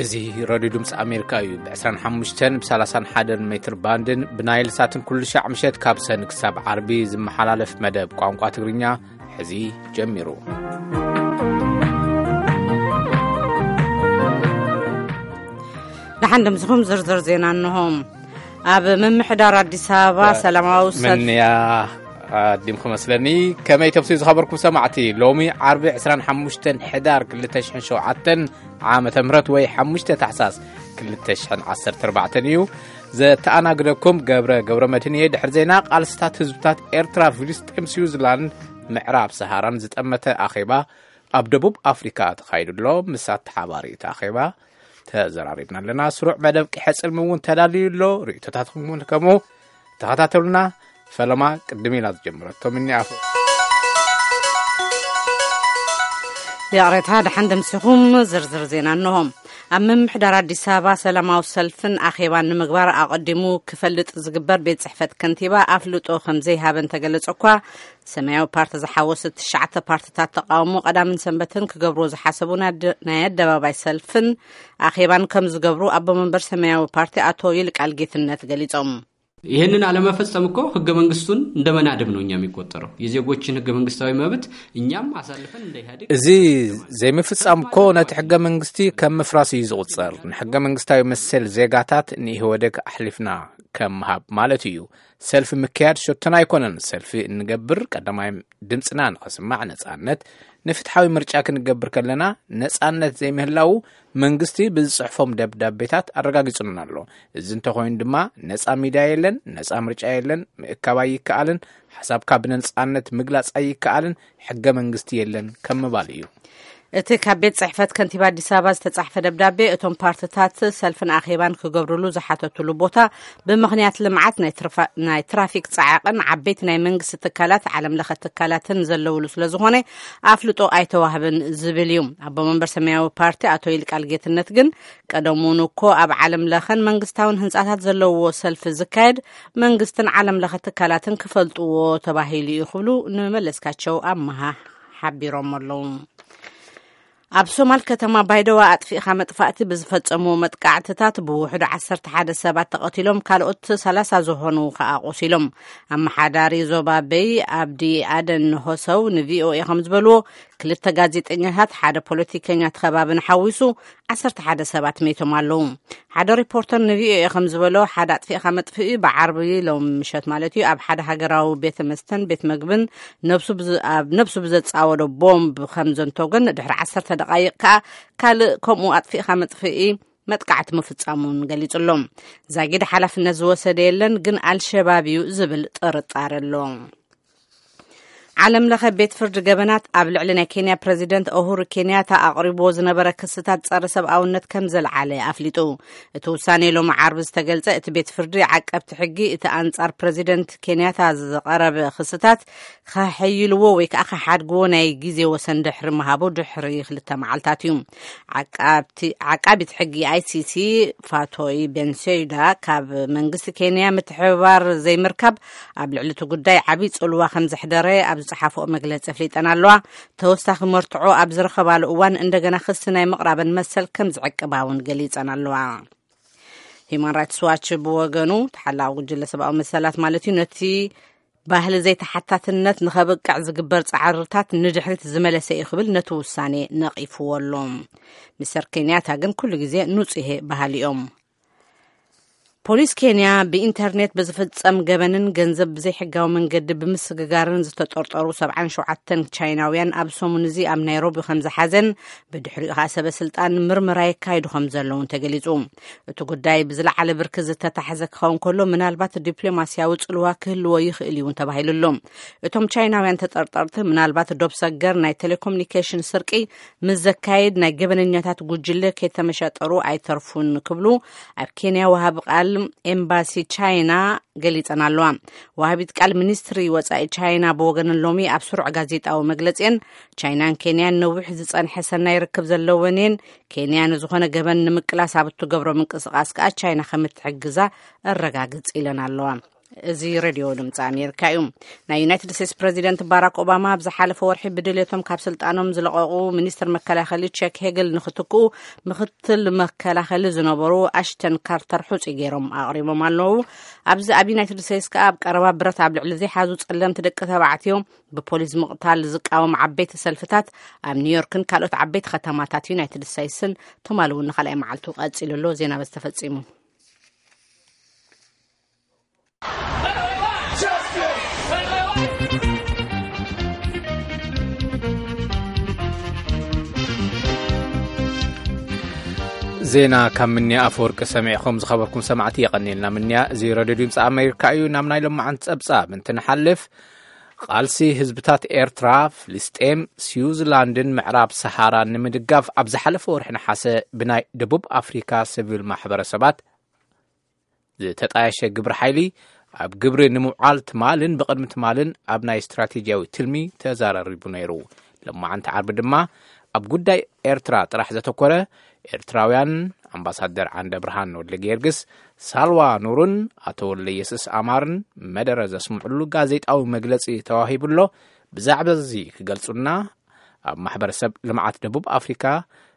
እዚ ሬድዮ ድምፂ ኣሜሪካ እዩ። ብ ዕስራን ሓሙሽተን ብ ሰላሳን ሓደን ሜትር ባንድን ብናይል ሳትን ኩሉ ሻዕ ምሸት ካብ ሰን ክሳብ ዓርቢ ዝመሓላለፍ መደብ ቋንቋ ትግርኛ ሕዚ ጀሚሩ። ደሓን ድምፅኹም ዝርዝር ዜና እንሆ። ኣብ ምምሕዳር ኣዲስ ኣበባ ሰላማዊ ሰልፍ ምንያ ኣዲምኩ መስለኒ። ከመይ ተምስዩ ዝኸበርኩም ሰማዕቲ? ሎሚ ዓርቢ ዕስራን ሓሙሽተን ሕዳር ክልተ ሽሕን ሸውዓተን ዓመተ ምህረት ወይ ሓሙሽተ ታሕሳስ ክልተ ሽሕን ዓሰርተ ኣርባዕተን እዩ። ዘተኣናግደኩም ገብረ ገብረ መድህን እየ። ድሕሪ ዜና ቃልስታት ህዝብታት ኤርትራ፣ ፍልስጤም፣ ስዊዝላንድ፣ ምዕራብ ሰሃራን ዝጠመተ ኣኼባ ኣብ ደቡብ ኣፍሪካ ተኻይዱ ኣሎ። ምስ ኣተሓባሪ እቲ ኣኼባ ተዘራሪብና ኣለና። ስሩዕ መደብ ቂሐ ጽልሚ እውን ተዳልዩ ኣሎ። ርእይቶታትኩም እውን ከምኡ ተኸታተሉና። ፈለማ ቅድም ኢላ ዝጀመረቶ ምኒ ኣፉ። ይቕሬታ፣ ደሓን ደምሲኹም። ዝርዝር ዜና እንሆ። ኣብ ምምሕዳር ኣዲስ ኣበባ ሰላማዊ ሰልፍን ኣኼባን ንምግባር ኣቐዲሙ ክፈልጥ ዝግበር ቤት ጽሕፈት ከንቲባ ኣፍልጦ ከም ዘይሃበ እንተገለጸ እኳ፣ ሰማያዊ ፓርቲ ዝሓወሰ ትሽዓተ ፓርትታት ተቃውሞ ቀዳምን ሰንበትን ክገብርዎ ዝሓሰቡ ናይ ኣደ-፣ ናይ ኣደባባይ ሰልፍን ኣኼባን ከም ዝገብሩ ኣቦ መንበር ሰማያዊ ፓርቲ ኣቶ ይልቃል ጌትነት ገሊጾም። ይህንን አለመፈጸም እኮ ህገ መንግስቱን እንደ መናድም ነው እኛ የሚቆጠረው። የዜጎችን ህገ መንግስታዊ መብት እኛም አሳልፈን እንደ ኢህአዴግ እዚ ዘይምፍጻም እኮ ነቲ ሕገ መንግስቲ ከም ምፍራስ እዩ ዝቑጸር። ንሕገ መንግስታዊ መሰል ዜጋታት ንኢህወደግ ኣሕሊፍና ከም ምሃብ ማለት እዩ። ሰልፊ ምክያድ ሸቶና ኣይኮነን። ሰልፊ እንገብር ቀዳማይ ድምፅና ንኸስማዕ ነፃነት፣ ንፍትሓዊ ምርጫ ክንገብር ከለና ነፃነት ዘይምህላዉ መንግስቲ ብዝፅሕፎም ደብዳቤታት ኣረጋጊጹልና ኣሎ። እዚ እንተኾይኑ ድማ ነፃ ሚድያ የለን፣ ነፃ ምርጫ የለን፣ ምእካብ ኣይከኣልን፣ ሓሳብካ ብነፃነት ምግላፅ ኣይከኣልን፣ ሕገ መንግስቲ የለን ከም ምባል እዩ። እቲ ካብ ቤት ጽሕፈት ከንቲባ ኣዲስ ኣበባ ዝተጻሕፈ ደብዳቤ፣ እቶም ፓርትታት ሰልፍን ኣኼባን ክገብርሉ ዝሓተቱሉ ቦታ ብምኽንያት ልምዓት ናይ ትርፋ-፣ ናይ ትራፊክ ጻዕቕን ዓበይቲ ናይ መንግስቲ ትካላት፣ ዓለም ለኸ ትካላትን ዘለውሉ ስለ ዝኾነ ኣፍልጦ ኣይተዋህብን ዝብል እዩ። ኣቦ መንበር ሰማያዊ ፓርቲ ኣቶ ይልቃል ጌትነት ግን፣ ቀደም እውን እኮ ኣብ ዓለም ለኸን መንግስታውን ህንጻታት ዘለውዎ ሰልፊ ዝካየድ መንግስትን ዓለም ለኸ ትካላትን ክፈልጥዎ ተባሂሉ እዩ ክብሉ ንመለስካቸው ኣመሃ ሓቢሮም ኣለዉ። ኣብ ሶማል ከተማ ባይደዋ ኣጥፊእኻ መጥፋእቲ ብዝፈጸምዎ መጥቃዕትታት ብውሕዱ ዓሰርተ ሓደ ሰባት ተቐቲሎም፣ ካልኦት ሰላሳ ዝኾኑ ከኣ ቆሲሎም። ኣመሓዳሪ ዞባ በይ ኣብዲ ኣደን ሆሰው ንቪኦኤ ከም ዝበልዎ፣ ክልተ ጋዜጠኛታት፣ ሓደ ፖለቲከኛ እቲ ከባቢ ንሓዊሱ ዓሰርተ ሓደ ሰባት መይቶም ኣለዉ። ሓደ ሪፖርተር ንቪኦኤ ከም ዝበሎ፣ ሓደ ኣጥፊእኻ መጥፍኢ ብዓርቢ ሎም ምሸት ማለት እዩ፣ ኣብ ሓደ ሃገራዊ ቤተ መስተን ቤት መግብን ነብሱ ብዝ-፣ ኣብ ነብሱ ብዘጻወዶ ቦምብ ከም ዘንተጎን፣ ድሕሪ ዓሰርተ ደቓይቕ ከኣ ካልእ ከምኡ ኣጥፊእኻ መጥፍኢ መጥቃዕቲ ምፍጻሙን ገሊጹ ኣሎ። ዛጊድ ሓላፍነት ዝወሰደ የለን፣ ግን ኣልሸባብ እዩ ዝብል ጥርጣረ ኣሎ። ዓለም ለኸ ቤት ፍርዲ ገበናት ኣብ ልዕሊ ናይ ኬንያ ፕረዚደንት ኡሁሩ ኬንያታ ኣቕሪብዎ ዝነበረ ክስታት ጸረ ሰብኣውነት ከም ዘልዓለ ኣፍሊጡ። እቲ ውሳኔ ሎሚ ዓርቢ ዝተገልጸ፣ እቲ ቤት ፍርዲ ዓቀብቲ ሕጊ እቲ ኣንጻር ፕረዚደንት ኬንያታ ዝቐረበ ክስታት ከሐይልዎ ወይ ከዓ ከሓድግዎ ናይ ግዜ ወሰን ድሕሪ ምሃቡ ድሕሪ ክልተ መዓልታት እዩ። ዓቃብቲ-፣ ዓቃቢት ሕጊ ኣይ ሲ ሲ ፋቶይ ቤንሴዳ ካብ መንግስቲ ኬንያ ምትሕብባር ዘይምርካብ ኣብ ልዕሊ እቲ ጉዳይ ዓብዪ ጽልዋ ከም ዘሕደረ ኣብ ዝጸሓፍኦ መግለጺ ኣፍሊጠን ኣለዋ። ተወሳኺ መርትዖ ኣብ ዝረኸባሉ እዋን እንደገና ክሲ ናይ ምቕራበን መሰል ከም ዝዕቅባ እውን ገሊጸን ኣለዋ። ሂማን ራይትስ ዋች ብወገኑ፣ ተሓላቒ ጉጅለ ሰብኣዊ መሰላት ማለት እዩ፣ ነቲ ባህሊ ዘይተሓታትነት ንኸብቅዕ ዝግበር ጻዕርታት ንድሕሪት ዝመለሰ እዩ ክብል ነቲ ውሳኔ ነቒፍዎ ኣሎ። ሚስተር ኬንያታ ግን ኩሉ ግዜ ንጹሄ በሃሊ እዮም። ፖሊስ ኬንያ ብኢንተርኔት ብዝፍጸም ገበንን ገንዘብ ብዘይሕጋዊ መንገዲ ብምስግጋርን ዝተጠርጠሩ ሰብዓን ሸውዓተን ቻይናውያን ኣብ ሰሙን እዚ ኣብ ናይሮቢ ከም ዝሓዘን፣ ብድሕሪኡ ከኣ ሰበ ስልጣን ምርመራ የካይዱ ከም ዘለውን ተገሊጹ። እቲ ጉዳይ ብዝለዓለ ብርኪ ዝተታሕዘ ክኸውን ከሎ፣ ምናልባት ዲፕሎማስያዊ ጽልዋ ክህልዎ ይኽእል እዩ እውን ተባሂሉ ኣሎ። እቶም ቻይናውያን ተጠርጠርቲ፣ ምናልባት ዶብ ሰገር ናይ ቴሌኮሙኒኬሽን ስርቂ ምስ ዘካየድ ናይ ገበነኛታት ጉጅለ ከይተመሻጠሩ ኣይተርፉን ክብሉ ኣብ ኬንያ ወሃቢ ቃል ኤምባሲ ቻይና ገሊጸን ኣለዋ። ወሃቢት ቃል ሚኒስትሪ ወጻኢ ቻይና ብወገነን ሎሚ ኣብ ስሩዕ ጋዜጣዊ መግለጺአን፣ ቻይናን ኬንያን ነዊሕ ዝጸንሐ ሰናይ ርክብ ዘለወን እየን። ኬንያ ንዝኾነ ገበን ንምቅላስ ኣብ እትገብሮ ምንቅስቓስ ከኣ ቻይና ከም እትሕግዛ ኣረጋግጽ ኢለን ኣለዋ። እዚ ሬድዮ ድምፂ ኣሜሪካ እዩ። ናይ ዩናይትድ ስቴትስ ፕሬዚደንት ባራክ ኦባማ ኣብ ዝሓለፈ ወርሒ ብድልየቶም ካብ ስልጣኖም ዝለቐቑ ሚኒስትር መከላኸሊ ቸክ ሄግል ንክትክኡ ምክትል መከላኸሊ ዝነበሩ ኣሽተን ካርተር ሕፁይ ገይሮም ኣቕሪቦም ኣለዉ። ኣብዚ ኣብ ዩናይትድ ስቴትስ ከኣ ኣብ ቀረባ ብረት ኣብ ልዕሊ ዘይሓዙ ጸለምቲ ደቂ ተባዕትዮ ብፖሊስ ምቕታል ዝቃወም ዓበይቲ ሰልፍታት ኣብ ኒውዮርክን ካልኦት ዓበይቲ ከተማታት ዩናይትድ ስቴትስን ትማሊ እውን ንኻልኣይ መዓልቱ ቀጺሉ ኣሎ። ዜና በዚ ተፈጺሙ። ዜና ካብ ምንያ ኣፈወርቂ ሰሚዕኹም ዝኸበርኩም ሰማዕቲ የቐንየልና። ምንያ እዚ ረድዮ ድምፂ ኣሜሪካ እዩ። ናብ ናይ ሎማዓንቲ ጸብጻብ እንትንሓልፍ፣ ቃልሲ ህዝብታት ኤርትራ፣ ፍልስጤም፣ ስዊዝላንድን ምዕራብ ሰሃራን ንምድጋፍ ኣብ ዝሓለፈ ወርሒ ነሓሰ ብናይ ደቡብ ኣፍሪካ ሲቪል ማሕበረሰባት ዝተጣየሸ ግብረ ሓይሊ ኣብ ግብሪ ንምውዓል ትማልን ብቕድሚ ትማልን ኣብ ናይ ስትራቴጂያዊ ትልሚ ተዛራሪቡ ነይሩ። ሎማዓንቲ ዓርቢ ድማ ኣብ ጉዳይ ኤርትራ ጥራሕ ዘተኮረ ኤርትራውያን ኣምባሳደር ዓንደ ብርሃን ወልደ ጊዮርጊስ፣ ሳልዋ ኑርን ኣቶ ወልደ ኢየሱስ ኣማርን መደረ ዘስምዕሉ ጋዜጣዊ መግለጺ ተዋሂቡ ኣሎ። ብዛዕባ እዚ ክገልጹና ኣብ ማሕበረሰብ ልምዓት ደቡብ ኣፍሪካ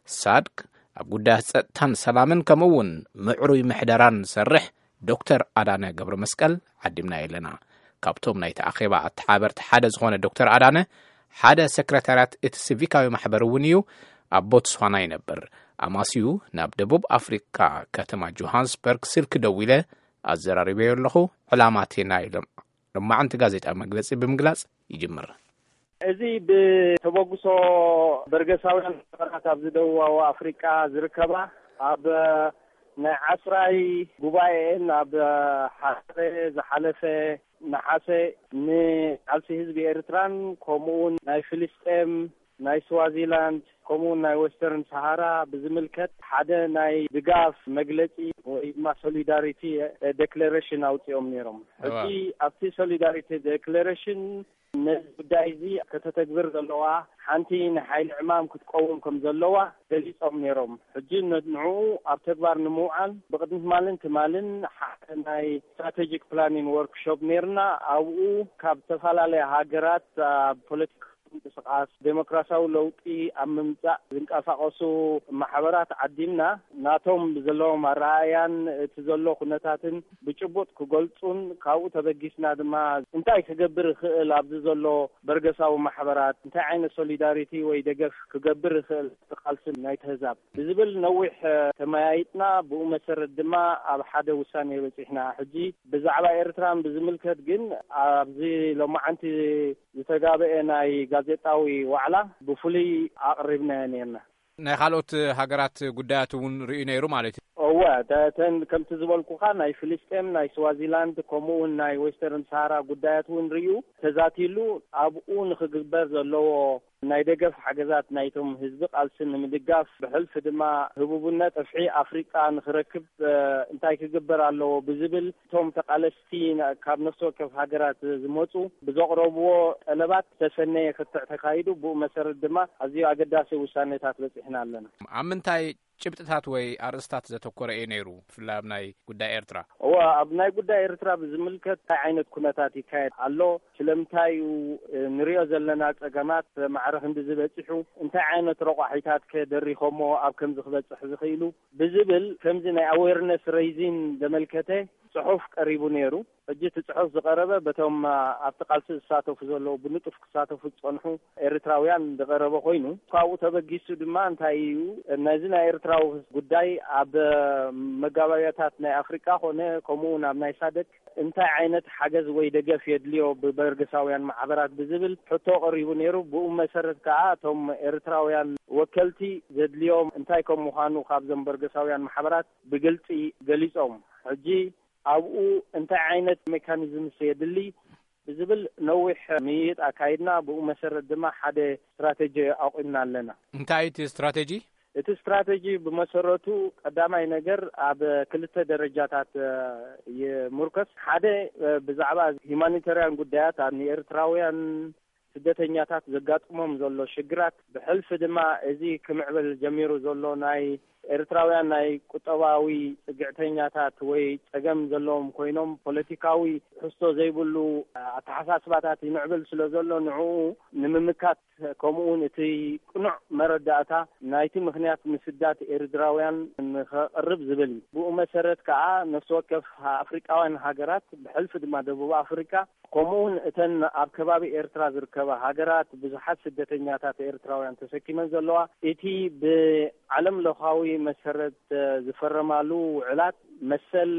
ሳድክ ኣብ ጉዳያት ጸጥታን ሰላምን ከምኡ እውን ምዕሩይ ምሕደራን ዝሰርሕ ዶክተር ኣዳነ ገብረ መስቀል ዓዲምና ኣለና። ካብቶም ናይቲ ኣኼባ ኣተሓበርቲ ሓደ ዝኾነ ዶክተር ኣዳነ ሓደ ሰክረታርያት እቲ ሲቪካዊ ማሕበር እውን እዩ። ኣብ ቦትስዋና ይነብር። ኣማስዩ ናብ ደቡብ ኣፍሪካ ከተማ ጆሃንስበርግ ስልኪ ደዊለ ኣዘራሪበዮ ኣለኹ። ዕላማ እቲ ናይ ሎም- ሎማዓንቲ ጋዜጣ መግለጺ ብምግላጽ ይጅምር። እዚ ብተበግሶ በርገሳውያን ሃገራት ኣብዚ ደቡባዊ ኣፍሪቃ ዝርከባ ኣብ ናይ ዓስራይ ጉባኤን ኣብ ሓረ ዝሓለፈ ነሓሰ ንቃልሲ ህዝቢ ኤርትራን ከምኡውን ናይ ፍልስጤም ናይ ስዋዚላንድ ከምኡውን ናይ ወስተርን ሰሃራ ብዝምልከት ሓደ ናይ ድጋፍ መግለጺ ወይ ድማ ሶሊዳሪቲ ዴክለሬሽን ኣውጺኦም ነይሮም። ሕጂ ኣብቲ ሶሊዳሪቲ ዴክለሬሽን ነዚ ጉዳይ እዚ ከተተግብር ዘለዋ ሓንቲ ንሓይሊ ዕማም ክትቀውም ከም ዘለዋ ገሊጾም ነይሮም። ሕጂ ንዕኡ ኣብ ተግባር ንምውዓል ብቕድሚ ትማልን ትማልን ሓደ ናይ ስትራቴጂክ ፕላኒንግ ወርክሾፕ ነይርና። ኣብኡ ካብ ዝተፈላለያ ሃገራት ኣብ ፖለቲካ ምንቅስቃስ ዴሞክራሲያዊ ለውጢ ኣብ ምምጻእ ዝንቀሳቐሱ ማሕበራት ዓዲምና ናቶም ብዘለዎም ኣረኣእያን እቲ ዘሎ ኩነታትን ብጭቡጥ ክገልጹን ካብኡ ተበጊስና ድማ እንታይ ክገብር ይኽእል ኣብዚ ዘሎ በርገሳዊ ማሕበራት እንታይ ዓይነት ሶሊዳሪቲ ወይ ደገፍ ክገብር ይኽእል እቲ ቃልሲ ናይቲ ህዛብ ብዝብል ነዊሕ ተመያይጥና ብኡ መሰረት ድማ ኣብ ሓደ ውሳኔ በጺሕና። ሕጂ ብዛዕባ ኤርትራን ብዝምልከት ግን ኣብዚ ሎማዓንቲ ዝተጋበኤ ናይ ጋዜጣዊ ዋዕላ ብፍሉይ ኣቕሪብናዮ ነርና። ናይ ካልኦት ሃገራት ጉዳያት እውን ርእዩ ነይሩ ማለት እዩ። እወ፣ ተን ከምቲ ዝበልኩኻ ናይ ፍልስጤም ናይ ስዋዚላንድ ከምኡ እውን ናይ ዌስተርን ሰሃራ ጉዳያት እውን ርእዩ ተዛቲሉ ኣብኡ ንክግበር ዘለዎ ናይ ደገፍ ሓገዛት ናይቶም ህዝቢ ቃልሲ ንምድጋፍ ብሕልፊ ድማ ህቡብነት ጸፍሒ ኣፍሪቃ ንክረክብ እንታይ ክግበር ኣለዎ ብዝብል እቶም ተቃለስቲ ካብ ነፍሲ ወከፍ ሃገራት ዝመፁ ብዘቕረብዎ ጠለባት ዝተሰነየ ክትዕ ተካይዱ ብኡ መሰረት ድማ ኣዝዩ ኣገዳሲ ውሳኔታት በፂሕና ኣለና። ኣብ ምንታይ ጭብጥታት ወይ ኣርእስታት ዘተኮረ እዩ ነይሩ? ብፍላይ ኣብ ናይ ጉዳይ ኤርትራ። እወ፣ ኣብ ናይ ጉዳይ ኤርትራ ብዝምልከት እንታይ ዓይነት ኩነታት ይካየድ ኣሎ፣ ስለምንታይ እዩ ንሪኦ ዘለና ፀገማት ማዕረ ክንዲ ዝበፂሑ፣ እንታይ ዓይነት ረቋሒታት ከ ደሪኾሞ ኣብ ከምዚ ክበፅሕ ዝኽኢሉ ብዝብል ከምዚ ናይ ኣዌርነስ ሬይዚን ዘመልከተ ፅሑፍ ቀሪቡ ነይሩ። ሕጂ እቲ ጽሑፍ ዝቐረበ በቶም ኣብቲ ቃልሲ ዝሳተፉ ዘለዉ ብንጡፍ ክሳተፉ ዝጸንሑ ኤርትራውያን ዝቐረበ ኮይኑ ካብኡ ተበጊሱ ድማ እንታይ እዩ ነዚ ናይ ኤርትራዊ ጉዳይ ኣብ መጋባብያታት ናይ ኣፍሪቃ ኮነ ከምኡ እውን ኣብ ናይ ሳደክ እንታይ ዓይነት ሓገዝ ወይ ደገፍ የድልዮ ብበርገሳውያን ማሕበራት ብዝብል ሕቶ ቀሪቡ ነይሩ። ብኡ መሰረት ከዓ እቶም ኤርትራውያን ወከልቲ ዘድልዮም እንታይ ከም ምዃኑ ካብዞም በርገሳውያን ማሕበራት ብግልጺ ገሊጾም። ሕጂ ኣብኡ እንታይ ዓይነት ሜካኒዝምስ የድሊ ብዝብል ነዊሕ ምይይጥ ኣካይድና። ብኡ መሰረት ድማ ሓደ ስትራተጂ ኣቑምና ኣለና። እንታይ እቲ ስትራተጂ? እቲ ስትራተጂ ብመሰረቱ ቀዳማይ ነገር ኣብ ክልተ ደረጃታት ይምርከስ። ሓደ ብዛዕባ ሂማኒታርያን ጉዳያት ኣብ ንኤርትራውያን ስደተኛታት ዘጋጥሞም ዘሎ ሽግራት ብሕልፊ ድማ እዚ ክምዕብል ጀሚሩ ዘሎ ናይ ኤርትራውያን ናይ ቁጠባዊ ጽግዕተኛታት ወይ ጸገም ዘለዎም ኮይኖም፣ ፖለቲካዊ ትሕዝቶ ዘይብሉ ኣተሓሳስባታት ይምዕብል ስለ ዘሎ፣ ንዕኡ ንምምካት፣ ከምኡውን እቲ ቅኑዕ መረዳእታ ናይቲ ምኽንያት ምስዳድ ኤርትራውያን ንኸቕርብ ዝብል እዩ። ብኡ መሰረት ከኣ፣ ነፍሲ ወከፍ ኣፍሪቃውያን ሃገራት፣ ብሕልፊ ድማ ደቡብ ኣፍሪቃ፣ ከምኡውን እተን ኣብ ከባቢ ኤርትራ ዝርከባ ሃገራት ብዙሓት ስደተኛታት ኤርትራውያን ተሰኪመን ዘለዋ፣ እቲ ብዓለም ለኻዊ መሰረት ዝፈረማሉ ውዕላት፣ መሰል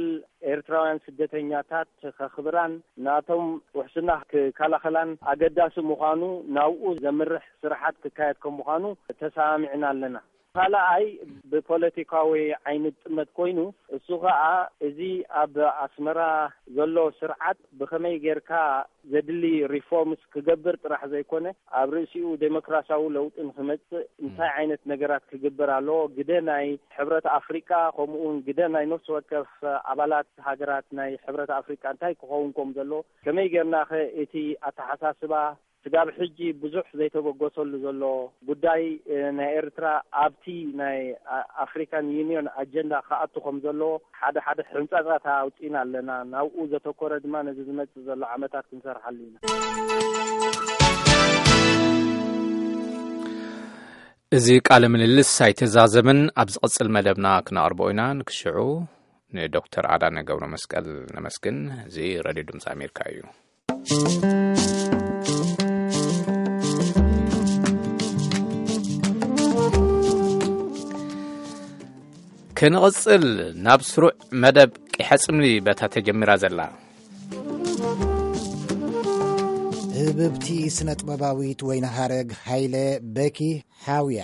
ኤርትራውያን ስደተኛታት ከኽብራን ናቶም ውሕስና ክከላኸላን ኣገዳሲ ምዃኑ፣ ናብኡ ዘምርሕ ስራሓት ክካየድ ከም ምዃኑ ተሰማሚዕና ኣለና። ካልኣይ፣ ብፖለቲካዊ ዓይኒ ጥመት ኮይኑ፣ እሱ ኸኣ፣ እዚ ኣብ ኣስመራ ዘሎ ስርዓት ብኸመይ ጌርካ ዘድሊ ሪፎርምስ ክገብር ጥራሕ ዘይኮነ፣ ኣብ ርእሲኡ ዴሞክራሲያዊ ለውጢ ንክመጽእ እንታይ ዓይነት ነገራት ክግበር ኣለዎ? ግደ ናይ ሕብረት ኣፍሪቃ፣ ከምኡ እውን ግደ ናይ ነፍሲ ወከፍ ኣባላት ሃገራት ናይ ሕብረት ኣፍሪቃ እንታይ ክኸውን ከም ዘለዎ፣ ከመይ ጌርና ኸ እቲ ኣተሓሳስባ ስጋብ ሕጂ ብዙሕ ዘይተበገሰሉ ዘሎ ጉዳይ፣ እ፣ ናይ ኤርትራ ኣብቲ ናይ ኣ-፣ ኣፍሪካን ዩኒዮን ኣጀንዳ ክኣቱ ከም ዘለዎ ሓደ ሓደ ሕንጻጻት ኣውጺእና ኣለና። ናብኡ ዘተኮረ ድማ ነዚ ዝመጽእ ዘሎ ዓመታት ክንሰርሓሉ ኢና። እዚ ቃለ ምልልስ ኣይተዛዘመን። ኣብ ዝቕጽል መደብና ክነቕርቦ ኢና። ንክሽዑ ንዶክተር ኣዳነ ገብረ መስቀል ነመስግን። እዚ ሬድዮ ድምፂ ኣሜሪካ እዩ። ክንቕጽል ናብ ስሩዕ መደብ ቂሐ ጽምሊ በታ ተጀሚራ ዘላ። ህብብቲ ስነ ጥበባዊት ወይኒ ሃረግ ሃይለ፣ በኪ ሓውያ።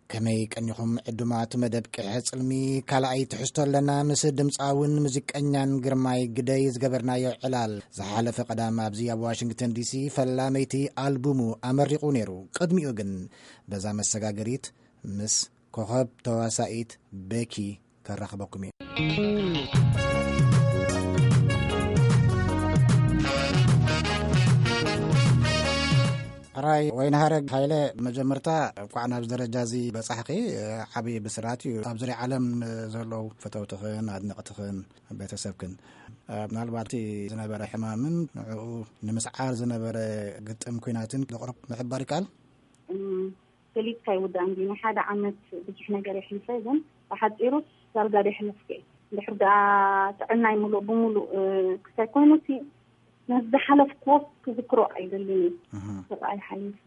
ከመይ ቀኒኹም ዕዱማት መደብ ቅሐ ጽልሚ? ካልኣይ ትሕዝቶ ኣለና። ምስ ድምጻውን ሙዚቀኛን ግርማይ ግደይ ዝገበርናዮ ዕላል ዝሓለፈ ቀዳም ኣብዚ ኣብ ዋሽንግተን ዲሲ ፈላመይቲ ኣልቡሙ ኣመሪቑ ነይሩ። ቅድሚኡ ግን በዛ መሰጋገሪት ምስ ኮኸብ ተዋሳኢት ቤኪ ከራኽበኩም እዩ። ሕራይ ወይንሃረግ ሃይለ፣ መጀመርታ እንኳዕ ናብዚ ደረጃ እዚ በጻሕኺ፣ ዓብዪ ብስራት እዩ። ኣብ ዙርያ ዓለም ዘለዉ ፈተውትኽን ኣድነቕትኽን ቤተሰብክን፣ ምናልባት እቲ ዝነበረ ሕማምን ንዕኡ ንምስዓር ዝነበረ ግጥም ኲናትን ዘቕርብ ምሕባር ይከኣል? ገሊጽካ ይውዳእ እንጂ ናይ ሓደ ዓመት ብዙሕ ነገር የሕልፈ፣ ግን ብሓጺሩ ዳርጋ ዶ የሕለፍኩ እየ። እንድሕር ደኣ ጥዕናይ ምሉእ ብምሉእ፣ እ፣ ክሳይ ኮይኑ እቲ ነዚ ዝሓለፍክዎ ክዝክሮ ኣይደልን እየ። እህ። ስቓይ ሓሊፉ፣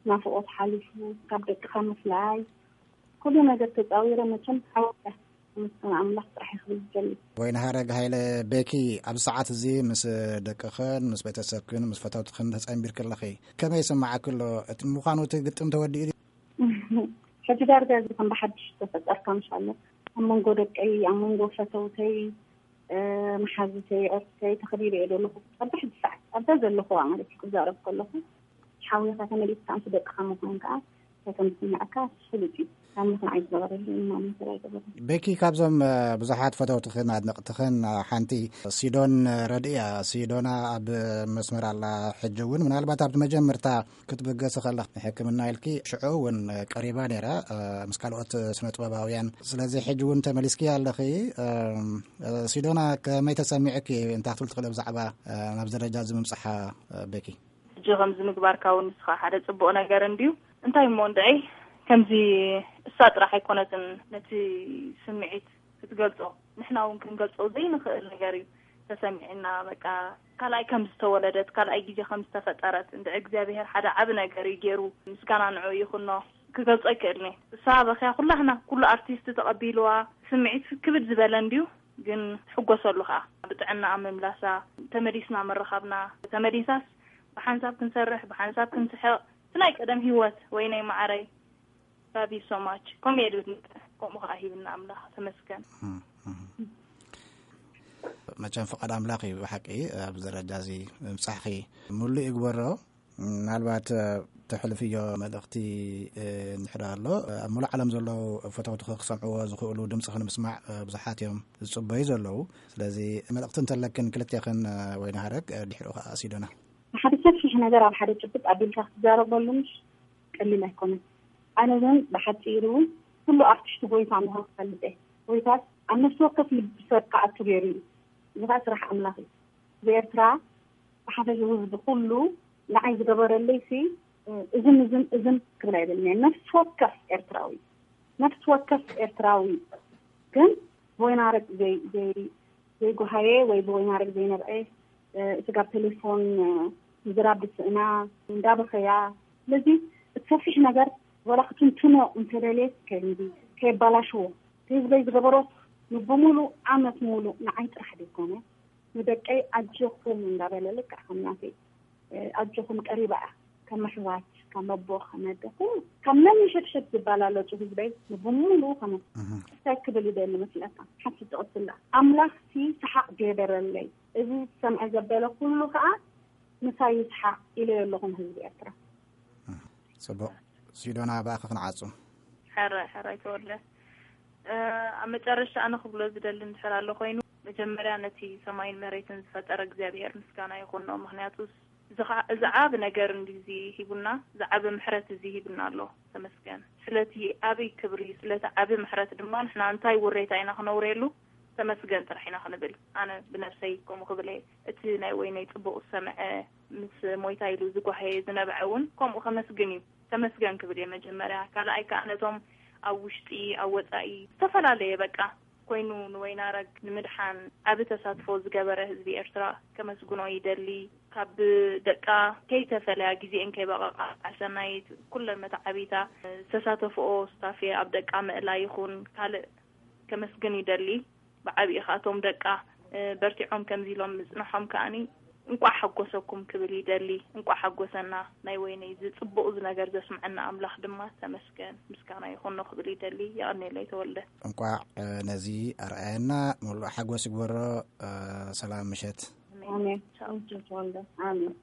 ናፍቖት ሓሊፉ፣ ካብ ደቅኻ ምፍላይ፣ ኩሉ ነገር ተጻዊረ መቸም ሓወያ። ምስጋና ኣምላኽ ጥራሕ እየ ክብል ዝደሊ። ወይንሃረግ ሃይለ ቤኪ፣ ኣብዚ ሰዓት እዚ ምስ ደቅኽን ምስ ቤተሰብክን ምስ ፈተውትኽን ተጸንቢርኪ ኣለኺ። ከመይ ይስምዓኪ ኣሎ? እቲ ምዃኑ እቲ ግጥም ተወዲኡ ድዩ? ሕጂ ዳርጋ እዚ ከም ብሓድሽ ዝተፈጠርካ ምሻሎ። ኣብ መንጎ ደቀይ፣ ኣብ መንጎ ፈተውተይ፣ እ፣ መሓዙተይ፣ ዕርክተይ ተኸቢበ እየ ዘለኹ። ኣብ ሕጂ ሰዓት ኣብዛ ዘለኹዋ ማለት እዩ ክዛረብ ከለኹ። ሓውኻ ተመሊስካ ምስ ደቅኻ ምዃን ከኣ እንታይ ከም ዝስምዐካ ፍሉጥ እዩ። ኣምላኽ ንዓይ ዝገበረለይ እማመን ስለ ኣይገበረን። ቤኪ፣ ካብዞም፣ እ፣ ብዙሓት ፈተውትኽን ኣድነቕትኽን፣ እ፣ ሓንቲ ሲዶን ረድእ እያ። ሲዶና ኣብ መስመር ኣላ። ሕጂ እውን ምናልባት ኣብቲ መጀመርታ ክትብገሲ ከለኺ ንሕክምና ኢልኪ ሽዑ እውን ቀሪባ ነይራ፣ እ፣ ምስ ካልኦት ስነ ጥበባውያን። ስለዚ ሕጂ እውን ተመሊስኪ ኣለኺ። እ፣ እ፣ ሲዶና፣ ከመይ ተሰሚዑኪ? እንታይ ክትብል ትኽእሊ ብዛዕባ፣ እ፣ ናብዚ ደረጃ እዚ ምምጻሓ፣ እ፣ ቤኪ? ሕጂ ከምዚ ምግባርካ እውን ንስኻ ሓደ ጽቡቕ ነገር እንድዩ። እንታይ እሞ እንድዒ፣ ከምዚ እሳ ጥራሕ ኣይኮነትን ነቲ ስምዒት ክትገልጾ፣ ንሕና እውን ክንገልጾ ዘይንኽእል ነገር እዩ ተሰሚዕና። በቃ፣ ካልኣይ ከም ዝተወለደት፣ ካልኣይ ግዜ ከም ዝተፈጠረት፣ እንድዒ እግዚኣብሄር ሓደ ዓቢ ነገር እዩ ገይሩ። ምስጋና ንዕኡ ይኹኖ። ክገልጾ ኣይክእልን እየ። እሳ በኽያ ኩላህና፣ ኩሉ ኣርቲስት ተቐቢልዋ፣ ስምዒት ክብድ ዝበለ እንድዩ። ግን ትሕጎሰሉ ኸኣ ብጥዕናኣ ምምላሳ፣ ተመሊስና ምርኻብና፣ ተመሊሳስ ብሓንሳብ ክንሰርሕ፣ ብሓንሳብ ክንስሕቕ፣ እቲ ናይ ቀደም ህይወት። ወይነይ መዓረይ፣ love you so much። ከምኡ እየ ድብል፣ ከምኡ ኸኣ ሂብና ኣምላኽ፣ ተመስገን። እም፣ እም። መቸም ፍቓድ ኣምላኽ እዩ ብሓቂ ኣብዚ ደረጃ እዚ ምብጻሕኺ። ምሉእ ይግበሮ። ምናልባት፣ እ፣ ተሕልፍዮ መልእኽቲ፣ እ፣ እንድሕር ኣሎ፣ ኣብ ሙሉእ ዓለም ዘለዉ ፈተውትኺ ክሰምዕዎ ዝኽእሉ ድምፅኺ ንምስማዕ፣ እ፣ ብዙሓት እዮም ዝፅበዩ ዘለዉ። ስለዚ መልእኽቲ እንተለክን ክልቴኽን፣ እ፣ ወይንሃረግ፣ እ፣ ድሕሪኡ ከዓ ሲዶና። ሓደ ሰፊሕ ነገር ኣብ ሓደ ጭብጥ ኣቢልካ ክትዛረበሉ ምሽ ቀሊል ኣይኮነን። ኣነ ግን ብሓፂሩ ኩሉ ኣርቲስት ጎይታ ምዃኑ ክፈልጥ እየ። ጎይታስ ኣብ ነፍሲ ወከፍ ልቢ ሰብ ክኣቱ ገይሩ እዩ። እዚ ከዓ ስራሕ ኣምላኽ እዩ። ብኤርትራ ብሓፈሽ ህዝቢ ኩሉ ንዓይ ዝገበረለይ ሲ እዝን እዝን እዝን ክብል ኣይብልን እየ። ነፍሲ ወከፍ ኤርትራዊ ነፍሲ ወከፍ ኤርትራዊ ግን ወይናረግ ዘይ- ዘይ- ዘይጓሃየ ወይ ብወይናረግ ዘይነብዐ፣ ስጋብ ቴሌፎን ምዝራብ ብስእና እንዳበኸያ። ስለዚ እቲ ሰፊሕ ነገር ወላ ክትንትኖ እንተደልየ ከይንዲ ከየባላሽዎ፣ ህዝበይ ዝገበሮ ንብሙሉ ዓመት ሙሉ ንዓይ ጥራሕ ዘይኮነ ንደቀይ ኣጆኹም እንዳበለ ልክዕ ከም ናተይ ኣጆኹም ቀሪባ እያ። ከም ኣሕዋት፣ ከም ኣቦ፣ ከም ኣደ፣ ኩሉ ካብ ነንሸድሸድ ዝባላለጹ ህዝበይ ንብሙሉ ከመ እንታይ ክብል ይደሊ መስለካ? ሓንቲ ትቕትላ ኣምላኽሲ ሰሓቕ ገበረለይ፣ እዚ ዝሰምዐ ዘበለ ኩሉ ከኣ ምሳይ ይስሓቕ ኢለዮ ኣለኹ ንህዝቢ ኤርትራ። ጽቡቕ። ሲዶና፣ ብኣኺ ክንዓጹ። ሕራይ ሕራይ ተወልደ። ኣብ መጨረሻ ኣነ ክብሎ ዝደሊ እንድሕር ኣሎ ኮይኑ፣ መጀመርያ ነቲ ሰማይን መሬትን ዝፈጠረ እግዚኣብሔር ምስጋና ይኹኖ። ምክንያቱ እዚ ዓብ ነገር እንዲዚ ሂቡና፣ ዝዓበ ምሕረት እዚ ሂቡና ኣሎ። ተመስገን ስለቲ ዓብይ ክብሪ፣ ስለቲ ዓብ ምሕረት ድማ ንሕና እንታይ ውሬታ ኢና ክነውርየሉ? ተመስገን ጥራሕ ኢና ክንብል። ኣነ ብነብሰይ ከምኡ ክብል እየ። እቲ ናይ ወይነይ ጽቡቕ ዝሰምዐ፣ ምስ ሞይታ ኢሉ ዝጓሃየ ዝነብዐ እውን ከምኡ ከመስግን እዩ። ተመስገን ክብል እየ መጀመርያ። ካልኣይ ከዓ ነቶም ኣብ ውሽጢ ኣብ ወፃኢ ዝተፈላለየ በቃ ኮይኑ ንወይናረግ ንምድሓን ዓብ ተሳትፎ ዝገበረ ህዝቢ ኤርትራ ከመስግኖ ይደሊ። ካብ ደቃ ከይተፈለያ፣ ግዜኤን ከይበቐቓ፣ ዓሰናይት ኩለን መተዓቢታ ዝተሳተፍኦ ስታፌ ኣብ ደቃ ምእላ ይኹን ካልእ ከመስግን ይደሊ። ብዓብዪ ከኣቶም ደቃ በርቲዖም ከምዚ ኢሎም ምጽንሖም ከኣኒ እንቋዕ ሓጎሰኩም ክብል ይደሊ። እንቋዕ ሓጎሰና። ናይ ወይነይ እዚ ጽቡቕ እዚ ነገር ዘስምዐና ኣምላኽ ድማ ተመስገን ምስጋና ይኹኖ ክብል ይደሊ። የቐኔለይ ተወልደ። እንቋዕ ነዚ ኣርኣየና። ሙሉእ ሓጎስ ይግበሮ። ሰላም ምሸት። ኣሜን። ተወልደ። ኣሜን።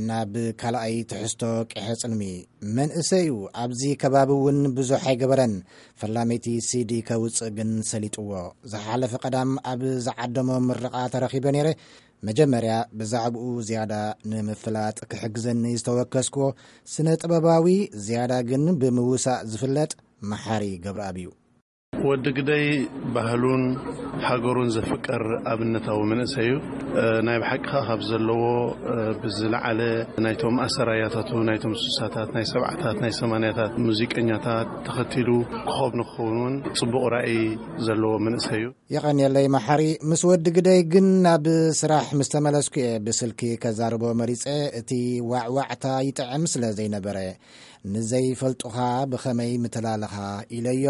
ናብ ካልኣይ ትሕዝቶ ቅሐ ጽልሚ። መንእሰዩ ኣብዚ ከባቢ እውን ብዙሕ ኣይገበረን። ፈላመይቲ ሲዲ ከውጽእ ግን ሰሊጥዎ። ዝሓለፈ ቀዳም ኣብ ዝዓደሞ ምርቓ ተረኺበ ነይረ። መጀመርያ ብዛዕባኡ ዝያዳ ንምፍላጥ ክሕግዘኒ ዝተወከስክዎ ስነ ጥበባዊ፣ ዝያዳ ግን ብምውሳእ ዝፍለጥ መሓሪ ገብረኣብ እዩ። ወዲ ግደይ ባህሉን ሃገሩን ዘፍቅር ኣብነታዊ መንእሰይ እዩ። ናይ ብሓቂ ከኣ ካብ ዘለዎ ብዝለዓለ ናይቶም ኣሰራያታቱ፣ ናይቶም ስሳታት፣ ናይ ሰብዓታት፣ ናይ ሰማንያታት ሙዚቀኛታት ተኸቲሉ ክኸብ ንክኸውን እውን ጽቡቕ ራእይ ዘለዎ መንእሰይ እዩ። የቐንየለይ መሓሪ። ምስ ወዲ ግደይ ግን ናብ ስራሕ ምስ ተመለስኩ እየ ብስልኪ ከዛርቦ መሪጸ። እቲ ዋዕዋዕታ ይጥዕም ስለ ዘይነበረ፣ ንዘይፈልጡኻ ብኸመይ ምተላለኻ ኢለዮ።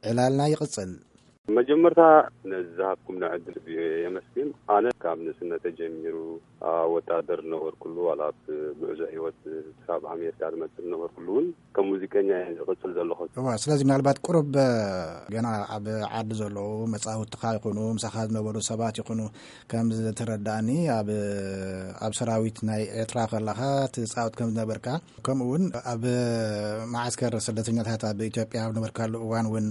ዕላልና ይቕጽል። መጀመርታ ነዚ ዝሃብኩምና ዕድል የመስግን። ኣነ ካብ ንእስነተ ጀሚሩ ኣብ ወታደር ዝነበርኩሉ ዋላ ኣብ ጉዕዞ ህይወት ክሳብ ኣሜሪካ ዝመፅእ ዝነበርኩሉ እውን ከም ሙዚቀኛ እየ ዝቕፅል ዘለኹ። እዋ ስለዚ ምናልባት ቁሩብ ገና ኣብ ዓዲ ዘለዉ መፃውትኻ ይኹኑ ምሳኻ ዝነበሩ ሰባት ይኹኑ ከም ዝተረዳእኒ ኣብ ኣብ ሰራዊት ናይ ኤርትራ ከለኻ ትፃወት ከም ዝነበርካ ከምኡ እውን ኣብ መዓስከር ስደተኛታት ኣብ ኢትዮጵያ ኣብ ነበርካሉ እዋን እውን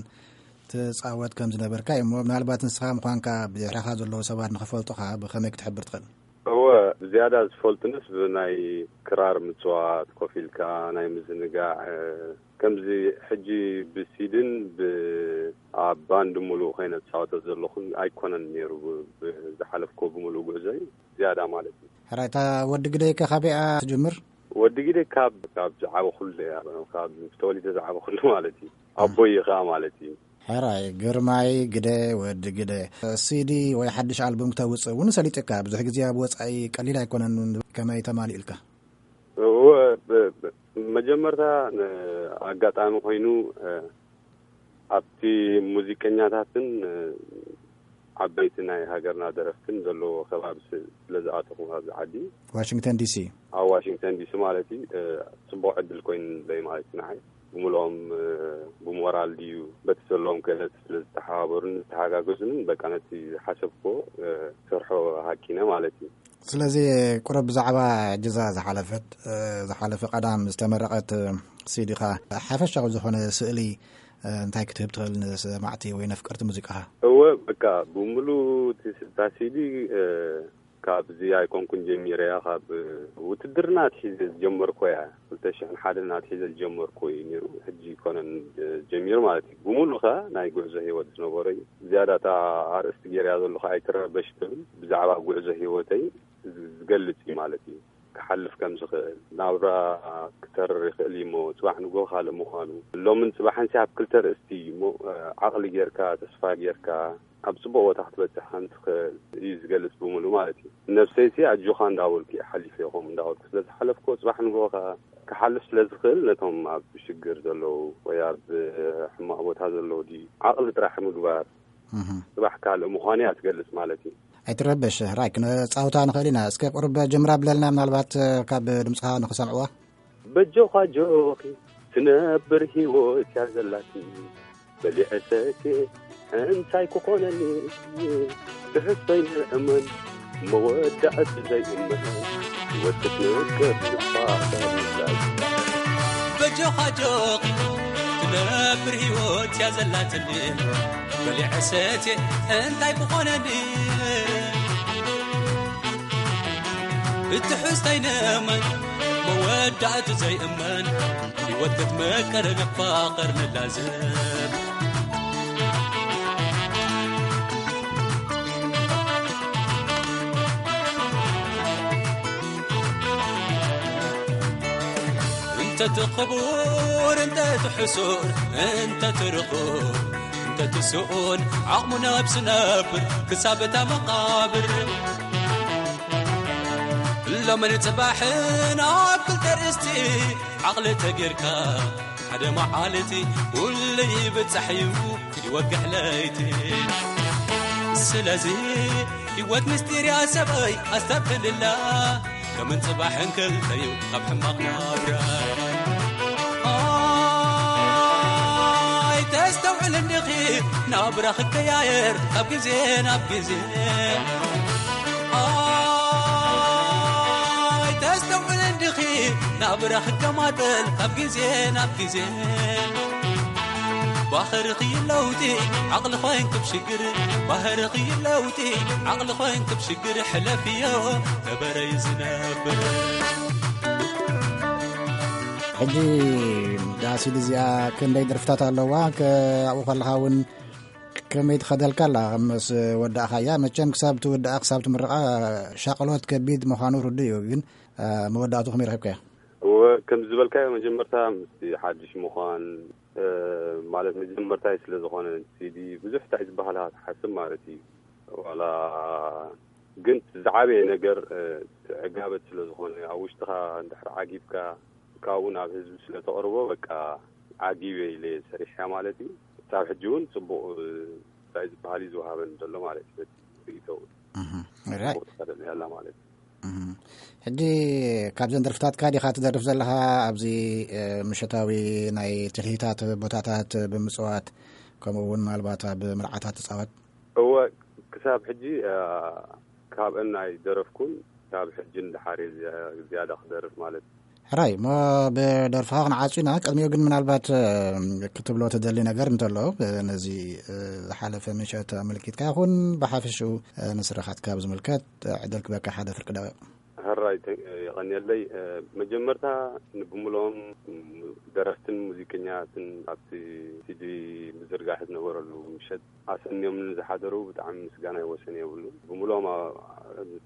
ትጻወት ከም ዝነበርካ እዩ እሞ ምናልባት ንስኻ ምዃንካ ብድሕረኻ ዘለዉ ሰባት ንኽፈልጡኻ ብኸመይ ክትሕብር ትኽእል? እወ ብዝያዳ ዝፈልጡንስ ብናይ ክራር ምጽዋት ኮፍ ኢልካ ናይ ምዝንጋዕ ከምዚ ሕጂ ብሲድን ኣብ ባንድ ሙሉእ ኮይነ ዝጻወቶ ዘለኹን ኣይኮነን ነይሩ ዝሓለፍኮ ብምሉእ ጉዕዞ እዩ ዝያዳ ማለት እዩ። ሕራይ እታ ወዲ ግደይ ከ ካበይኣ ትጅምር? ወዲ ግደይ ካብ ካብ ዝዓበኹሉ እያ ካብ ተወሊደ ዝዓበኹሉ ማለት እዩ። ኣቦይ እዩ ከዓ ማለት እዩ። ሕራይ ግርማይ ግደ ወዲ ግደ ሲዲ ወይ ሓድሽ ኣልቡም ክተውፅእ እውን ሰሊጥካ ብዙሕ ግዜ ኣብ ወፃኢ ቀሊል ኣይኮነን ከመይ ተማሊእልካ? መጀመርታ ኣጋጣሚ ኮይኑ ኣብቲ ሙዚቀኛታትን ዓበይቲ ናይ ሃገርና ደረፍትን ዘለዎ ከባቢ ስለዝኣተኹ ኣብዚ ዓዲ ዋሽንግተን ዲሲ ኣብ ዋሽንግተን ዲሲ ማለት እዩ ፅቡቕ ዕድል ኮይኑለይ ማለት እዩ ንዓይ ብምልኦም ብሞራል ድዩ በቲ ዘለዎም ክእለት ስለዝተሓባበሩን ዝተሓጋገዙንን በቃ ነቲ ዝሓሰብክዎ ክሰርሖ ሃቂነ ማለት እዩ። ስለዚ ቁሩብ ብዛዕባ ጅዛ ዝሓለፈት ዝሓለፈ ቀዳም ዝተመረቐት ሲዲኻ ሓፈሻዊ ዝኾነ ስእሊ እንታይ ክትህብ ትኽእል ንሰማዕቲ ወይ ነፍቀርቲ ሙዚቃኻ? እወ፣ በቃ፣ ብምሉ እቲ ስ- እታ ሲዲ ካብዚ ኣይኮንኩን ጀሚረያ፣ ካብ ውትድርና ኣትሒዘ ዝጀመርኮ እያ። ክልተ ሽሕን ሓደን ኣትሒዘ ዝጀመርኮ እዩ ነይሩ። ሕጂ ይኮነን ጀሚሩ ማለት እዩ። ብምሉ ከ ናይ ጉዕዞ ህይወት ዝነበረ እዩ። ዝያዳ እታ ኣርእስቲ ገይርያ ዘለኹ ኣይትረበሽ ትብል፣ ብዛዕባ ጉዕዞ ህይወተይ ዝገልጽ እዩ ማለት እዩ። ክሓልፍ ከም ዝኽእል፣ ናብራ ክተርር ይኽእል እዩ እሞ፣ ጽባሕ ንግሆ ካልእ ምዃኑ፣ ሎምን ጽባሕን ሲ ኣብ ክልተ ርእስቲ እዩ እሞ፣ ዓቕሊ ጌርካ፣ ተስፋ ጌርካ፣ ኣብ ጽቡቕ ቦታ ክትበጽሕ ከም ትኽእል እዩ ዝገልጽ ብምሉ ማለት እዩ። ነብሰይሲ ኣጆኻ እንዳበልኩ እየ ሓሊፈ፣ ይኹም እንዳበልኩ ስለ ዝሓለፍኩ፣ ጽባሕ ንግሆ ከኣ ክሓልፍ ስለ ዝኽእል፣ ነቶም ኣብ ሽግር ዘለዉ ወይ ኣብ ሕማቕ ቦታ ዘለዉ ድዩ ዓቕሊ ጥራሕ ምግባር፣ እህ። ጽባሕ ካልእ ምዃኑ እያ ትገልጽ ማለት እዩ። ኣይትረበሽ፣ ራይ ክነጻውታ ንኽእል ኢና። እስከ ቁርብ ጀምራ ብለልና፣ ምናልባት ካብ ድምጽኻ ንኽሰምዕዋ። በጆኻ ጆኺ ትነብር ህይወት እያ ዘላትኒ፣ በሊዐ ሰትየ እንታይ ክኾነኒ? ትሕዝቶይ ንእመን መወዳእቲ ዘይእመን፣ ህይወት ክትነቅር ልባ ተብላል። በጆኻ ጆኺ ትነብር ህይወት እያ ዘላትኒ፣ በሊዐ ሰትየ እንታይ ክኾነኒ? ብትሕዝቶይ ንእመን መወዳእቲ ዘይእመን፣ ህይወት ክትመቅር ንፋቐር ንላዘብ። እንተ ትኽቡር እንተ ትሕሱር እንተ ትርኹብ እንተ ትስኡን ዓቕሙ ነብሲ ነብር ክሳብ እታ መቓብር። ሎምን ጽባሕን ኣብ ክልተ ርእስቲ ዓቕሊ ተጌርካ ሓደ መዓልቲ ኩሉ ይብጻሕ እዩ ይወግሕ ለይቲ። ስለዚ ህይወት ምስጢር እያ ሰበይ ኣስተብህልላ፣ ከምጽባሕን ክልተዩ ካብ ሕማቕ ናብራ። ኣይተስተውዕል እንዲኺ ናብራ ክቀያየር ካብ ግዜ ናብ ግዜ። ኣይተስተውዕል እንዲኺ ናብራ ክገማጠል ካብ ግዜ ናብ ግዜ። ባህርኺ ለውጢ ዓቕሊ ኮይንኪ ብሽግር፣ ባህርኺ ለውጢ ዓቕሊ ኮይንኪ ብሽግር፣ ሕለፍዮ ነበረይ ዝነብር። ሕጂ እዛ ሲዲ እዚኣ ክንደይ ደርፍታት ኣለዋ? ከ-፣ ኣብኡ ከለኻ እውን ከመይ ትኸደልካ ኣላ? ምስ ወዳእኻያ መቸም ክሳብ ትውድኣ፣ ክሳብ ትምርቓ ሻቕሎት ከቢድ ምዃኑ ርዱእ እዩ። ግን፣ እ፣ መወዳእቱ ከመይ ረኺብካዮ? እወ፣ ከም ዝበልካዮ መጀመርታ ምስቲ ሓድሽ ምዃን፣ እ፣ ማለት መጀመርታይ ስለ ዝኾነ ሲዲ ብዙሕ እንታይ ዝበሃል ክትሓስብ ማለት እዩ። ዋላ ግን ዝዓበየ ነገር፣ እ፣ ዕጋበት ስለ ዝኾነ ኣብ ውሽጥኻ እንድሕር ዓጊብካ ካብኡ ናብ ህዝቢ ስለ ተቕርቦ በቃ ዓጊበ ኢለ እየ ሰሪሐያ ማለት እዩ። ክሳብ ሕጂ እውን ጽቡቕ፣ እ፣ እንታይ ዝበሃል እዩ ዝወሃበኒ ዘሎ ማለት እዩ። በቲ ርእይቶ እውን እህ፣ ራይ። ጽቡቕ ትኸደኒ ኣላ ማለት እዩ። እህ። ሕጂ ካብዘን ደርፍታትካ ዲኻ ትደርፍ ዘለኻ ኣብዚ፣ እ፣ ምሸታዊ ናይ ትልሂታት ቦታታት ብምጽዋት፣ ከምኡ እውን ምናልባት ኣብ መርዓታት ትጻወት? እወ፣ ክሳብ ሕጂ፣ እ፣ ካብአን ኣይደረፍኩን። ካብ ሕጂ ንደሓር እየ ዝያ-፣ ዝያዳ ክደርፍ ማለት እዩ። ሕራይ፣ እሞ ብደርፍኻ ክንዓጹ ኢና። ቅድሚኡ ግን ምናልባት፣ እ፣ ክትብሎ ትደሊ ነገር እንተሎ፣ እ፣ ነዚ፣ እ፣ ዝሓለፈ ምሸት ኣመልኪትካ ይኹን ብሓፈሽኡ፣ እ፣ ንስራሓትካ ብዝምልከት፣ እ፣ ዕድል ክበካ ሓደ ፍርቂ ደቂቕ። ሕራይ፣ ተ-፣ የቐንየለይ። እ፣ መጀመርታ ንብምልኦም ደረፍትን ሙዚቀኛትን ኣብቲ ሲዲ ምዝርጋሕ ዝነበረሉ ምሸት ኣሰንዮም ንዝሓደሩ ብጣዕሚ ምስጋናይ ወሰን የብሉን። ብምልኦም ኣ-፣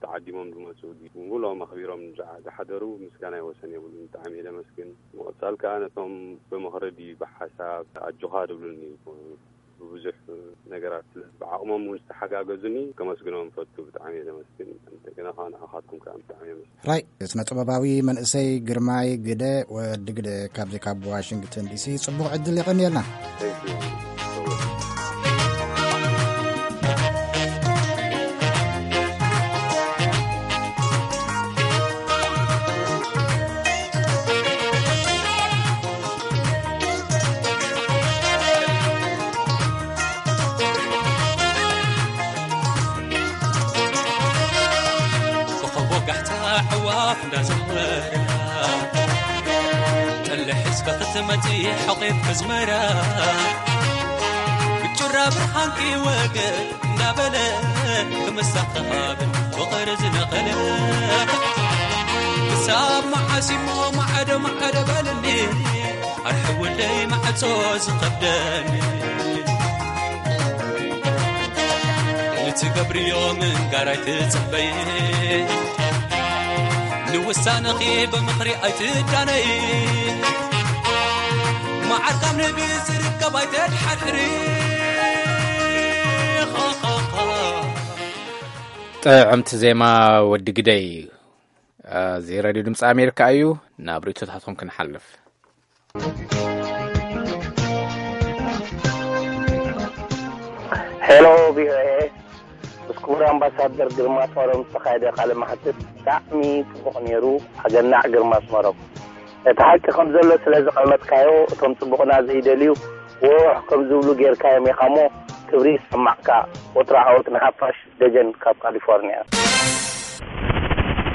ተዓዲሞም ዝመጹ፣ ብምልኦም ኣኽቢሮም ንዝሓ-፣ ዝሓደሩ ምስጋናይ ወሰን የብሉን። ብጣዕሚ እየ ዘመስግን። ብምቕጻል ከኣ ነቶም ብምኽሪ ድዩ ብሓሳብ ኣጆኻ ዝብሉኒ ብብዙሕ ነገራት ስለ ብዓቕሞም እውን ዝተሓጋገዙኒ ከመስግኖም እፈቱ። ብጣዕሚ እየ ዘመስግን። እንደገና ከኣ ንዓኻትኩም ከኣ ብጣዕሚ እየ ዘመስግን። ራይ፣ ስነ ጥበባዊ መንእሰይ ግርማይ ግደ፣ ወዲ ግደ፣ ካብዚ ካብ ዋሽንግተን ዲሲ ጽቡቕ ዕድል የቐንየልና። Thank you። እንዳዘመረ ጠልሕ እስከ ክትመጺ ሕቒፍ ክዝመራ ብጩራ ብርሃንኪ ወገ እንዳበለ ክምሳኸሃብን ፍቕሪ ዝነቐለ ክሳብ መዓሲሞ ማዕዶ ማዕዶ በልኒ ኣርሒ ወደይ ማዕጾ ዝኸብደኒ ንትገብርዮ ምንጋር ኣይትጸበይ ንውሳነኺ ብምኽሪ ኣይትዳነይ መዓር ካብ ንቢ ዝርከብ ኣይተድሓድሕሪ ጥዕምቲ ዜማ ወዲ ግደይ። እዚ ሬድዮ ድምፂ ኣሜሪካ እዩ። ናብ ርእቶታትኩም ክንሓልፍ። ሄሎ ቪኦኤ፣ ምስ ክቡር ኣምባሳደር ግርማ ጦሮም ዝተኻየደ ቃለ መሕትት ብጣዕሚ ጽቡቕ ነይሩ። ኣገናዕ ግርማ ኣስመሮም፣ እቲ ሓቂ ከም ዘሎ ስለ ዝቐመጥካዮ እቶም ጽቡቕና ዘይደልዩ ውሕ ከም ዝብሉ ጌርካዮም ኢኻ እሞ ክብሪ ይሰማዕካ። ወትሩ ዓወት ንሓፋሽ። ደጀን ካብ ካሊፎርኒያ።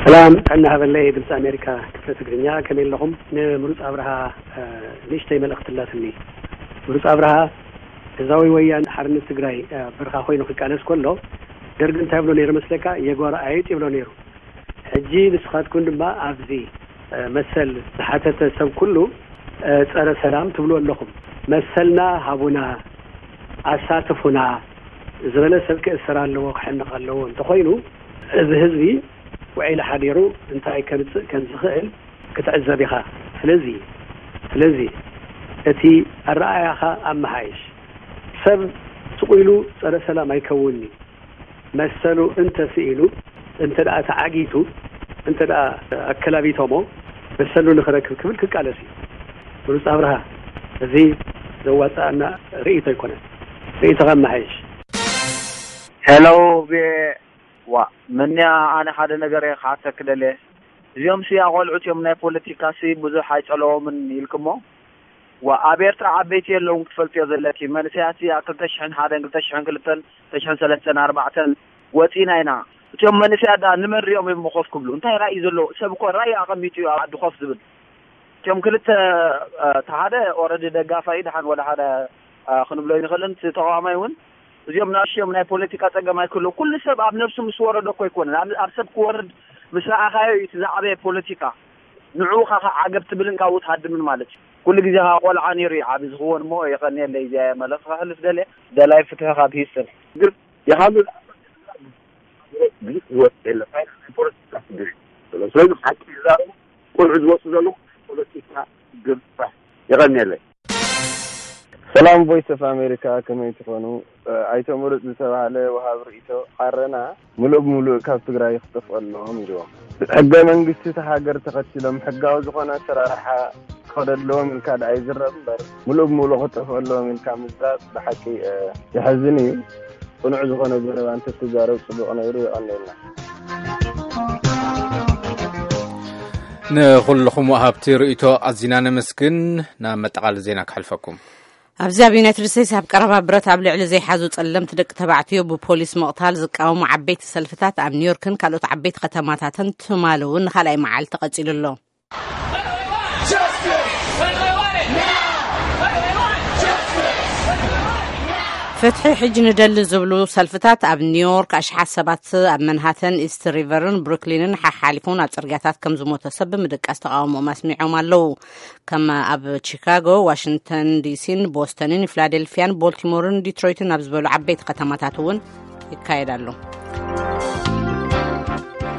ሰላም ጥዕና ሃበለይ ድምፂ ኣሜሪካ ክፍለ ትግርኛ ከመይ ኣለኹም? ንምሩፅ ኣብርሃ ንእሽተይ መልእኽቲ ኣላትኒ። ምሩፅ ኣብርሃ ገዛዊ ወያን ሓርነት ትግራይ በርኻ ኮይኑ ክቃለስ ከሎ ደርግ እንታይ ይብሎ ነይሩ መስለካ? የጓራ ኣየጥ ይብሎ ነይሩ። ሕጂ ንስኻትኩም ድማ ኣብዚ መሰል ዝሓተተ ሰብ ኩሉ ጸረ ሰላም ትብሉ ኣለኹም። መሰልና ሃቡና፣ ኣሳትፉና ዝበለ ሰብ ክእሰር ኣለዎ፣ ክሕነቕ ኣለዎ እንተኾይኑ እዚ ህዝቢ ውዒሉ ሓዲሩ እንታይ ከምጽእ ከም ዝኽእል ክትዕዘብ ኢኻ። ስለዚ ስለዚ እቲ ኣረኣእያኻ ኣመሓይሽ። ሰብ ስቕ ኢሉ ጸረ ሰላም ኣይከውንን'ዩ። መሰሉ እንተ ስኢኑ፣ እንተ ደኣ ተዓጊቱ፣ እንተ ደኣ ኣከላቢቶሞ መሰሉ ንኽረክብ ክብል ክቃለስ እዩ። ብሉጽ ኣብርሃ፣ እዚ ዘዋጽኣና ርእይቶ ኣይኮነን። ርእይቶኻ ኣመሓይሽ። ሄሎ ቪኦኤ፣ ዋእ፣ መን እያ? ኣነ ሓደ ነገር እየ ክሓተኪ ደልየ። እዚኦም ሲ ኣቖልዑት እዮም፣ ናይ ፖለቲካ ሲ ብዙሕ ኣይጸለዎምን ኢልክሞ? ዋእ፣ ኣብ ኤርትራ ዓበይቲ የለውን ክትፈልጥዮ ዘለኪ። መንእሰያት ሲ ኣብ ክልተ ሽሕን ሓደን፣ ክልተ ሽሕን ክልተን፣ ክልተ ሽሕን ሰለስተን፣ ኣርባዕተን ወጺና ኢና። እቲኦም መንእሰያት ደኣ ንመን ሪኦም እዮም ኮፍ ክብሉ? እንታይ ራኢ ዘለዎ? ሰብ እኮ ራኢ ኣቐሚጡ እዩ ኣብ ዓዲ ኮፍ ዝብል። እቲኦም ክልተ፣ እ፣ እቲ ሓደ ኦረዲ ደጋፋይ ደሓን ወላ ሓደ፣ እ፣ ክንብሎ ኣይንኽእልን። እቲ ተቓዋማይ እውን እዚኦም ንኣሽዮም ናይ ፖለቲካ ጸገም ኣይክህልዎ። ኩሉ ሰብ ኣብ ነብሱ ምስ ወረዶ እኮ ኣይኮነን። ኣብ፣ ኣብ ሰብ ክወርድ ምስ ረኣኻዮ እዩ እቲ ዝዓበየ ፖለቲካ። ንዕኡ ኻኻ ዓገብ ትብልን ካብኡ ትሃድምን ማለት እዩ። ኩሉ ግዜ ኸኣ ቆልዓ ነይሩ እዩ ዓቢ ዝኽወን እሞ የቐንየለይ። እዚኣ እየ መልእኽቲ ከሕልፍ ደልየ። ደላይ ፍትሒ ካብ ሂውስተን። ግን የሃሉ ብዙሕ ህይወት የለን። ናይ ፖለቲካ ስድሪ። ስለዚ ሓቂ ይዛረቡ። ቆልዑ ዝወፁ ዘለዉ ፖለቲካ ግንፋሕ። የቐንየለይ። ሰላም ቮይስ ኦፍ ኣሜሪካ፣ ከመይ ትኾኑ? ኣይተ ምሩፅ ዝተባህለ ወሃብ ርእይቶ፣ ዓረና ምሉእ ብምሉእ ካብ ትግራይ ክጠፍኡ ኣለዎም ኢልዎም። ሕገ መንግስቲ እታ ሃገር ተኸቲሎም ሕጋዊ ዝኾነ ኣሰራርሓ ክኸደለዎም ኢልካ ደኣ ይዝረብ እምበር ምሉእ ብምሉእ ክጠፍኡ ኣለዎም ኢልካ ምዝራብ ብሓቂ የሕዝን እዩ። ቅኑዕ ዝኾነ ዘረባ እንተትዛረብ ጽቡቕ ነይሩ። የቐንየልና። ንኹልኹም ወሃብቲ ርእይቶ ኣዚና ነመስግን። ናብ መጠቓለሊ ዜና ክሓልፈኩም። ኣብዚ ኣብ ዩናይትድ ስቴትስ ኣብ ቀረባ ብረት ኣብ ልዕሊ ዘይሓዙ ጸለምቲ ደቂ ተባዕትዮ ብፖሊስ ምቕታል ዝቃወሙ ዓበይቲ ሰልፍታት ኣብ ኒውዮርክን ካልኦት ዓበይቲ ከተማታትን ትማሊ እውን ንኻልኣይ መዓልቲ ቀጺሉ ኣሎ። ፍትሒ ሕጂ ንደሊ ዝብሉ ሰልፍታት ኣብ ኒውዮርክ ኣሽሓት ሰባት ኣብ መንሃተን፣ ኢስት ሪቨርን ብሩክሊንን ሓሓሊፉ ናብ ጽርግያታት ከም ዝሞተ ሰብ ብምድቃስ ተቓውሞኦም ኣስሚዖም ኣለዉ። ከም ኣብ ቺካጎ፣ ዋሽንግተን ዲሲን ቦስተንን ፊላደልፊያን ቦልቲሞርን ዲትሮይትን ኣብ ዝበሉ ዓበይቲ ከተማታት እውን ይካየድ ኣሎ።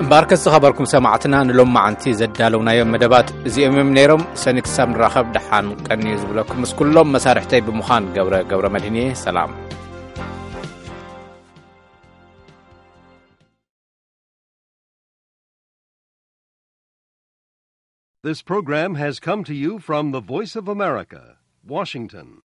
እምበኣርከስ ዝኸበርኩም ሰማዕትና ንሎማዓንቲ ዘዳለውናዮም መደባት እዚኦም እዮም ነይሮም። ሰኒ ክሳብ ንራኸብ ደሓን ቀንዩ ዝብለኩም ምስ ኩሎም መሳርሕተይ ብምዃን ገብረ ገብረ መድህን እየ። ሰላም። This program has come to you from the Voice of America, Washington.